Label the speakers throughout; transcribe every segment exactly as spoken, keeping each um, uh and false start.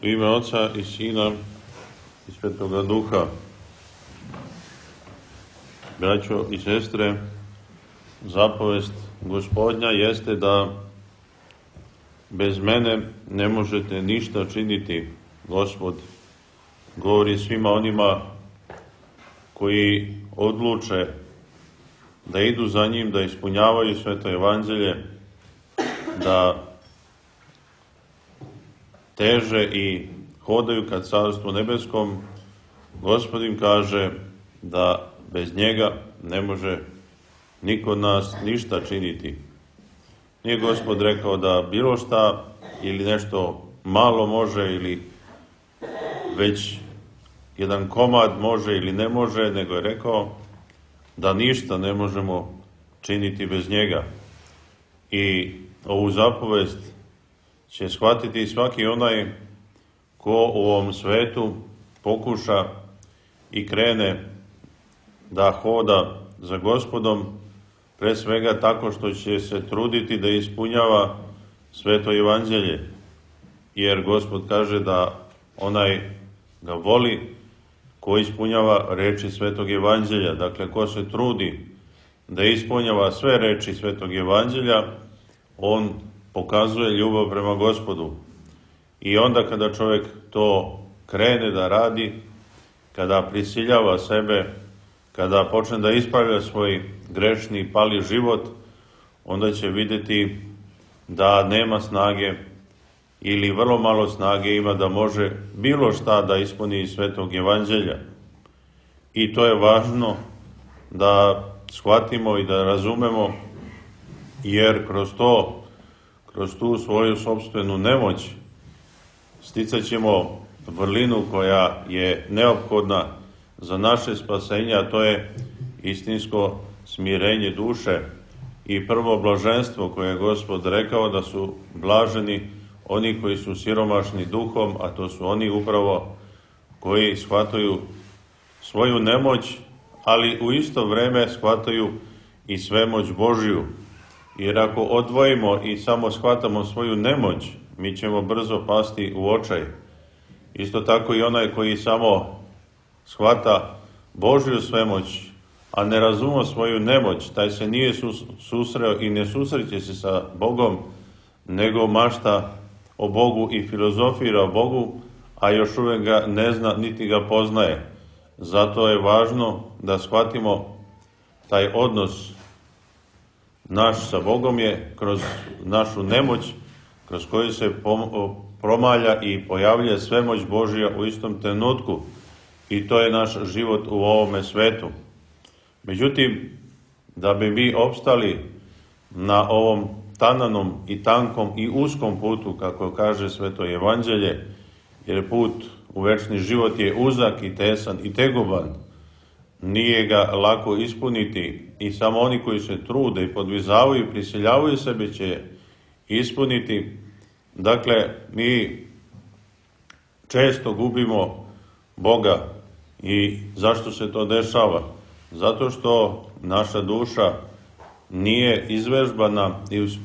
Speaker 1: U ime Oca i Sina i Svetoga Duha. Braćo i sestre, zapovest Gospodnja jeste da bez mene ne možete ništa činiti. Gospod govori svima onima koji odluče da idu za njim, da ispunjavaju sveto evanđelje, da teže i hodaju ka Carstvu nebeskom. Gospod im kaže da bez njega ne može niko od nas ništa činiti. Nije Gospod rekao da bilo šta ili nešto malo može ili već jedan komad može ili ne može, nego je rekao da ništa ne možemo činiti bez njega. I ovu zapovest će shvatiti svaki onaj ko u ovom svetu pokuša i krene da hoda za Gospodom, pre svega tako što će se truditi da ispunjava sveto evanđelje. Jer Gospod kaže da onaj ga voli ko ispunjava reči svetog evanđelja. Dakle, ko se trudi da ispunjava sve reči svetog evanđelja, on pokazuje ljubav prema Gospodu. I onda kada čovjek to krene da radi, kada prisiljava sebe, kada počne da ispravlja svoj grešni i pali život, onda će vidjeti da nema snage ili vrlo malo snage ima da može bilo šta da ispuni iz svetog evanđelja. I to je važno da shvatimo i da razumemo, jer kroz to, kroz tu svoju sopstvenu nemoć sticat ćemo vrlinu koja je neophodna za naše spasenje, a to je istinsko smirenje duše i prvo blaženstvo koje je Gospod rekao da su blaženi oni koji su siromašni duhom, a to su oni upravo koji shvataju svoju nemoć, ali u isto vreme shvataju i svemoć Božju. Jer ako odvojimo i samo shvatamo svoju nemoć, mi ćemo brzo pasti u očaj. Isto tako i onaj koji samo shvata Božju svemoć, a ne razume svoju nemoć, taj se nije susreo i ne susreće se sa Bogom, nego mašta o Bogu i filozofira o Bogu, a još uvijek ga ne zna niti ga poznaje. Zato je važno da shvatimo taj odnos naš sa Bogom je kroz našu nemoć, kroz koju se promalja i pojavlja svemoć Božja u istom trenutku. I to je naš život u ovome svetu. Međutim, da bi mi opstali na ovom tananom i tankom i uskom putu, kako kaže sveto evanđelje, jer put u večni život je uzak i tesan i tegoban, nije ga lako ispuniti i samo oni koji se trude i podvizavaju i prisiljavaju sebe će ispuniti. Dakle, mi često gubimo Boga. I zašto se to dešava? Zato što naša duša nije izvežbana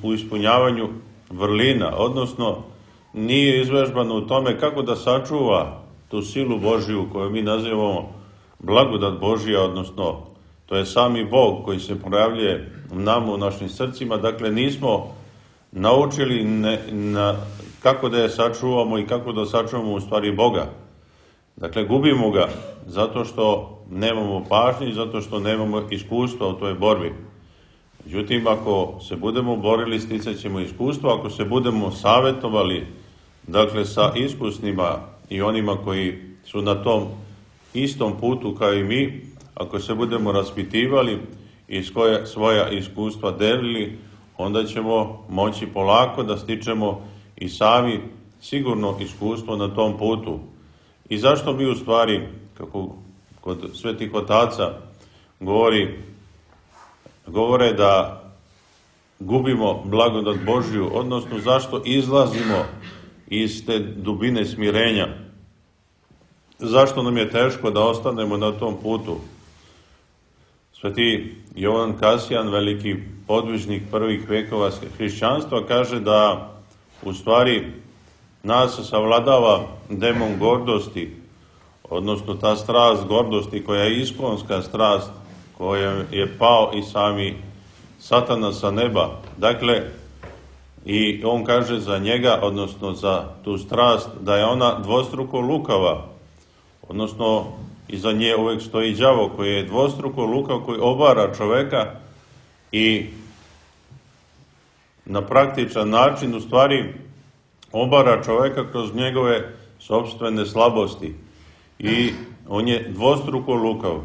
Speaker 1: u ispunjavanju vrlina, odnosno nije izvežbana u tome kako da sačuva tu silu Božju koju mi nazivamo blagodat Božja, odnosno to je sami Bog koji se projavljuje nama u našim srcima. Dakle, nismo naučili ne, na, kako da je sačuvamo i kako da sačuvamo u stvari Boga. Dakle, gubimo ga zato što nemamo pažnje i zato što nemamo iskustva u toj borbi. Međutim, ako se budemo borili, sticat ćemo iskustvo. Ako se budemo savjetovali, dakle, sa iskusnima i onima koji su na tom istom putu kao i mi, ako se budemo raspitivali i svoja, svoja iskustva delili, onda ćemo moći polako da stičemo i sami sigurno iskustvo na tom putu. I zašto mi u stvari, kako kod svetih otaca govori, govore da gubimo blagodat Božju, odnosno zašto izlazimo iz te dubine smirenja? Zašto nam je teško da ostanemo na tom putu? Sveti Jovan Kasijan, veliki podvižnik prvih vekova hrišćanstva, kaže da u stvari nas savladava demon gordosti, odnosno ta strast gordosti koja je iskonska strast, koja je pao i sami Satana sa neba. Dakle, i on kaže za njega, odnosno za tu strast, da je ona dvostruko lukava, odnosno iza nje uvijek stoji đavo koji je dvostruko lukav, koji obara čoveka i na praktičan način u stvari obara čoveka kroz njegove sopstvene slabosti. I on je dvostruko lukav,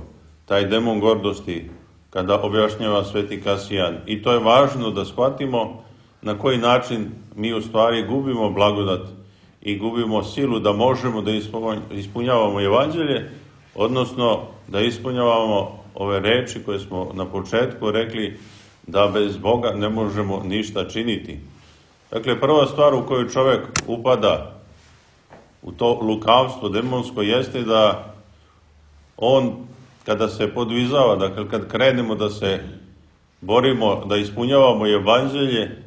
Speaker 1: taj demon gordosti, kada objašnjava sveti Kasijan. I to je važno da shvatimo na koji način mi u stvari gubimo blagodat i gubimo silu da možemo da ispunjavamo evanđelje, odnosno da ispunjavamo ove reči koje smo na početku rekli, da bez Boga ne možemo ništa činiti. Dakle, prva stvar u kojoj čovjek upada u to lukavstvo demonsko jeste da on, kada se podvizava, dakle kad krenemo da se borimo, da ispunjavamo evanđelje,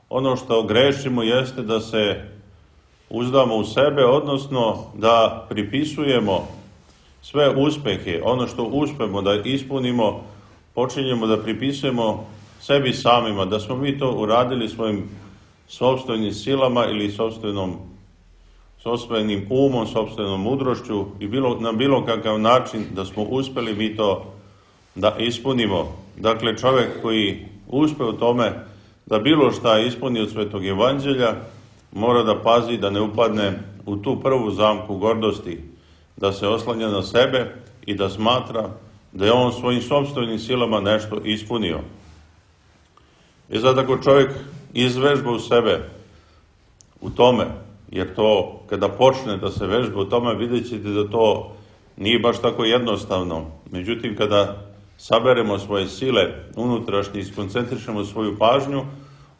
Speaker 1: ono što grešimo jeste da se uzdamo u sebe, odnosno da pripisujemo sve uspehe, ono što uspemo da ispunimo, počinjemo da pripisujemo sebi samima, da smo mi to uradili svojim sopstvenim silama ili sopstvenom, sopstvenim umom, sopstvenom mudrošću i bilo, na bilo kakav način da smo uspeli mi to da ispunimo. Dakle, čovjek koji uspe u tome da bilo šta ispuni od svetog evanđelja, mora da pazi da ne upadne u tu prvu zamku gordosti, da se oslanja na sebe i da smatra da je on svojim sopstvenim silama nešto ispunio. I zato ako čovjek izvežba u sebe u tome, jer to kada počne da se vežba u tome, vidjet ćete da to nije baš tako jednostavno. Međutim, kada saberemo svoje sile unutrašnje i skoncentrišemo svoju pažnju,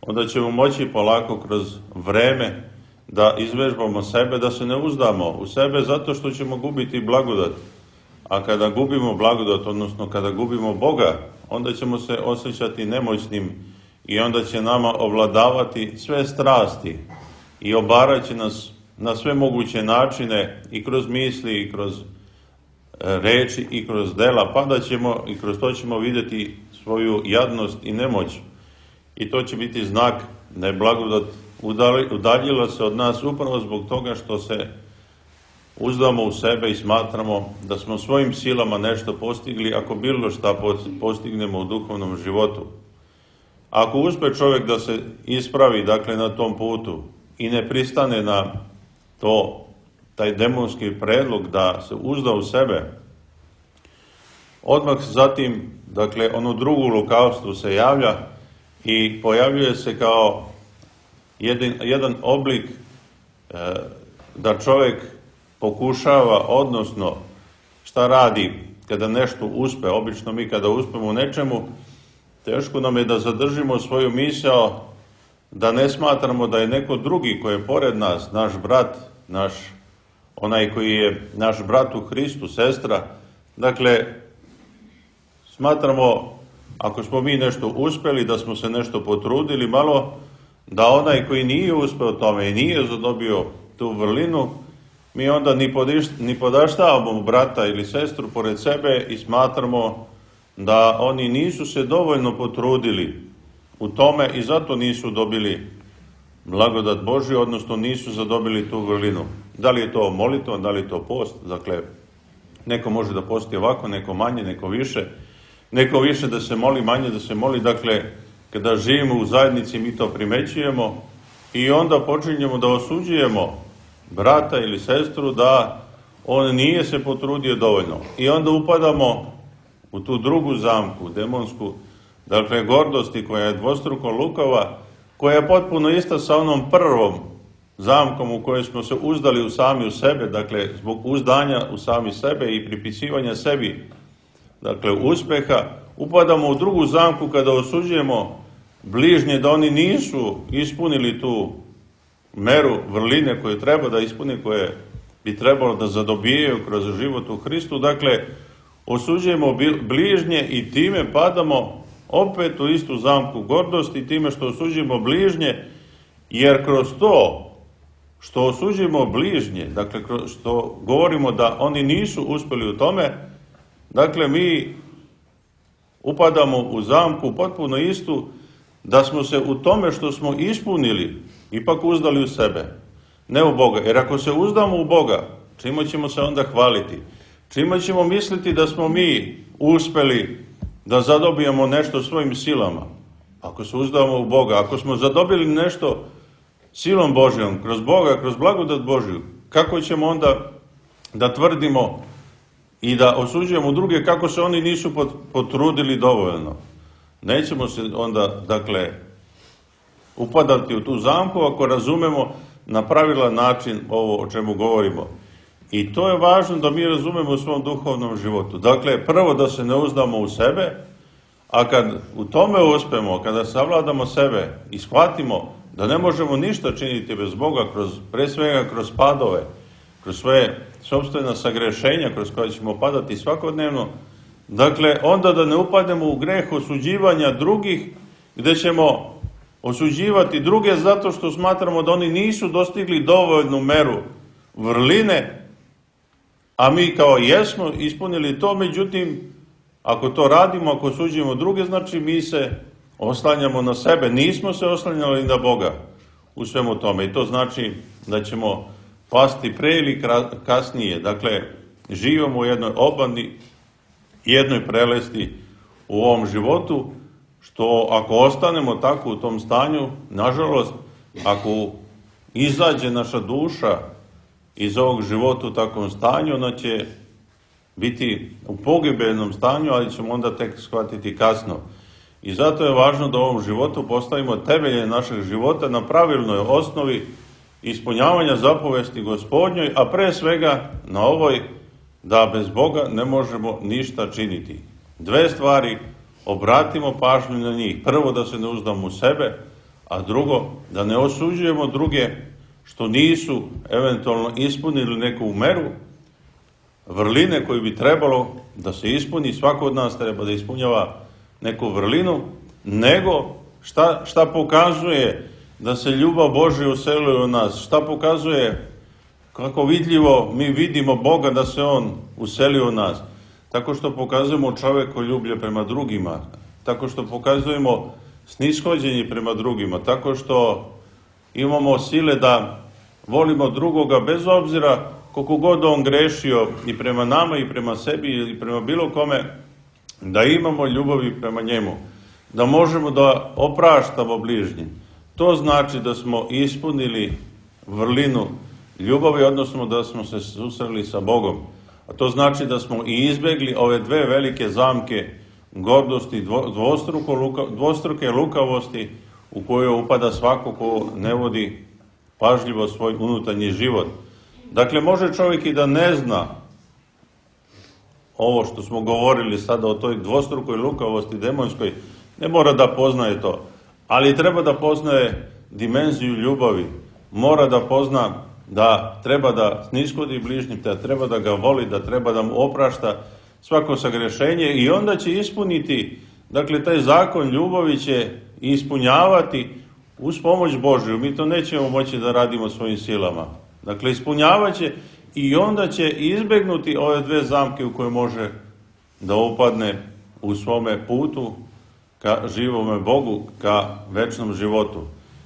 Speaker 1: onda ćemo moći polako kroz vreme da izvežbamo sebe, da se ne uzdamo u sebe zato što ćemo gubiti blagodat. A kada gubimo blagodat, odnosno kada gubimo Boga, onda ćemo se osjećati nemoćnim i onda će nama ovladavati sve strasti i obarat će nas na sve moguće načine i kroz misli i kroz reči i kroz dela, pa da ćemo i kroz to ćemo vidjeti svoju jadnost i nemoć. I to će biti znak da je blagodat udaljila se od nas upravo zbog toga što se uzdamo u sebe i smatramo da smo svojim silama nešto postigli, ako bilo šta postignemo u duhovnom životu. Ako uspe čovjek da se ispravi, dakle, na tom putu i ne pristane na to, taj demonski predlog da se uzda u sebe, odmah zatim, dakle, ono drugo lukavstvo se javlja i pojavljuje se kao jedan, jedan oblik e, da čovjek pokušava, odnosno šta radi kada nešto uspe. Obično mi kada uspemo u nečemu, teško nam je da zadržimo svoju misao, da ne smatramo da je neko drugi koji je pored nas, naš brat, naš, onaj koji je naš brat u Hristu, sestra. Dakle, smatramo, ako smo mi nešto uspjeli, da smo se nešto potrudili malo, da onaj koji nije uspeo tome i nije zadobio tu vrlinu, mi onda ni, podiš, ni podaštavamo brata ili sestru pored sebe i smatramo da oni nisu se dovoljno potrudili u tome i zato nisu dobili blagodat Božju, odnosno nisu zadobili tu vrlinu. Da li je to molitva, da li je to post? Dakle, neko može da posti ovako, neko manje, neko više. Neko više da se moli, manje da se moli. Dakle, kada živimo u zajednici, mi to primećujemo i onda počinjemo da osuđujemo brata ili sestru da on nije se potrudio dovoljno. I onda upadamo u tu drugu zamku, demonsku, dakle, gordosti koja je dvostruko lukava, koja je potpuno ista sa onom prvom zamkom u kojoj smo se uzdali u sami u sebe, dakle, zbog uzdanja u sami sebe i pripisivanja sebi, dakle, uspeha, upadamo u drugu zamku kada osuđujemo bližnje da oni nisu ispunili tu meru vrline koju treba da ispuni, koje bi trebalo da zadobijaju kroz život u Hristu. Dakle, osuđujemo bližnje i time padamo opet u istu zamku gordosti, time što osuđujemo bližnje, jer kroz to što osuđujemo bližnje, dakle što govorimo da oni nisu uspjeli u tome, dakle mi upadamo u zamku potpuno istu, da smo se u tome što smo ispunili ipak uzdali u sebe, ne u Boga. Jer ako se uzdamo u Boga, čime ćemo se onda hvaliti? Čime ćemo misliti da smo mi uspjeli da zadobijemo nešto svojim silama? Ako se uzdamo u Boga, ako smo zadobili nešto silom Božjom, kroz Boga, kroz blagodat Božju, kako ćemo onda da tvrdimo i da osuđujemo druge kako se oni nisu potrudili dovoljno? Nećemo se onda, dakle, upadati u tu zamku ako razumemo na pravilan način ovo o čemu govorimo. I to je važno da mi razumemo u svom duhovnom životu. Dakle, prvo da se ne uzdamo u sebe, a kad u tome uspemo, kada savladamo sebe i shvatimo da ne možemo ništa činiti bez Boga, kroz, pre svega kroz padove, kroz svoje sopstvena sagrešenja kroz koje ćemo padati svakodnevno, dakle, onda da ne upadnemo u greh osuđivanja drugih, gdje ćemo osuđivati druge zato što smatramo da oni nisu dostigli dovoljnu meru vrline, a mi kao jesmo ispunili to. Međutim, ako to radimo, ako osuđujemo druge, znači mi se oslanjamo na sebe, nismo se oslanjali na Boga u svemu tome. I to znači da ćemo pasti pre ili kasnije. Dakle, živimo u jednoj obmani, jednoj prelesti u ovom životu, što ako ostanemo tako u tom stanju, nažalost, ako izađe naša duša iz ovog života u takvom stanju, ona će biti u pogibeljnom stanju, ali ćemo onda tek shvatiti kasno. I zato je važno da u ovom životu postavimo temelje našeg života na pravilnoj osnovi ispunjavanja zapovesti Gospodnjoj, a pre svega na ovoj da bez Boga ne možemo ništa činiti. Dve stvari, obratimo pažnju na njih. Prvo, da se ne uzdamo u sebe, a drugo, da ne osuđujemo druge što nisu eventualno ispunili neku meru vrline koju bi trebalo da se ispuni. Svako od nas treba da ispunjava neku vrlinu, nego šta, šta pokazuje da se ljubav Božja uselila u nas, šta pokazuje kako vidljivo mi vidimo Boga da se On uselio u nas, tako što pokazujemo čovekoljublje prema drugima, tako što pokazujemo snishođenje prema drugima, tako što imamo sile da volimo drugoga bez obzira koliko god on grešio i prema nama i prema sebi ili prema bilo kome, da imamo ljubavi prema njemu, da možemo da opraštamo bližnjim. To znači da smo ispunili vrlinu ljubavi, odnosno da smo se susreli sa Bogom. A to znači da smo i izbjegli ove dve velike zamke gordosti, dvostruko, dvostruke lukavosti u koju upada svako ko ne vodi pažljivo svoj unutarnji život. Dakle, može čovjek i da ne zna ovo što smo govorili sada o toj dvostrukoj lukavosti demonskoj, ne mora da poznaje to, ali treba da poznaje dimenziju ljubavi, mora da pozna da treba da sniskodi bližnjim, da treba da ga voli, da treba da mu oprašta svako sagrešenje i onda će ispuniti, dakle, taj zakon ljubavi će ispunjavati uz pomoć Božju. Mi to nećemo moći da radimo svojim silama. Dakle, ispunjavat će i onda će izbjegnuti ove dve zamke u koje može da upadne u svome putu ka živome Bogu, ka večnom životu.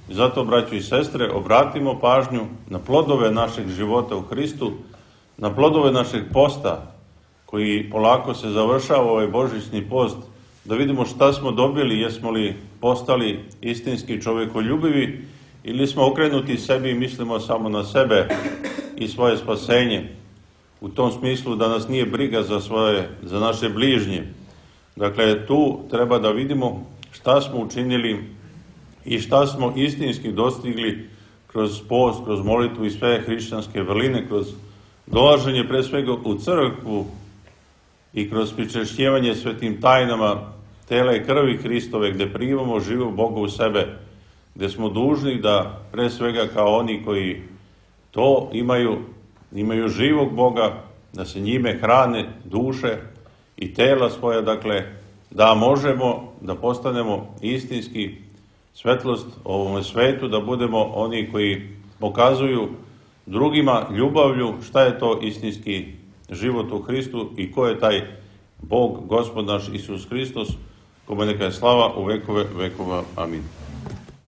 Speaker 1: I zato, braćo i sestre, obratimo pažnju na plodove našeg života u Hristu, na plodove našeg posta, koji polako se završava ovaj božićni post, da vidimo šta smo dobili, jesmo li postali istinski čovjekoljubivi ili smo okrenuti sebi i mislimo samo na sebe i svoje spasenje. U tom smislu da nas nije briga za svoje, za naše bližnje. Dakle, tu treba da vidimo šta smo učinili i šta smo istinski dostigli kroz post, kroz molitvu i sve hrišćanske vrline, kroz dolaženje pre svega u crkvu i kroz pričešćivanje svetim tajnama tela i krvi Hristove, gdje primamo živog Boga u sebe, gdje smo dužni da pre svega kao oni koji to imaju, imaju živog Boga, da se njime hrane duše i tela svoja, dakle, da možemo da postanemo istinski svetlost ovome svetu, da budemo oni koji pokazuju drugima ljubavlju šta je to istinski život u Hristu i ko je taj Bog, Gospod naš Isus Hristos, kome neka je slava u vekove vekova. Amin.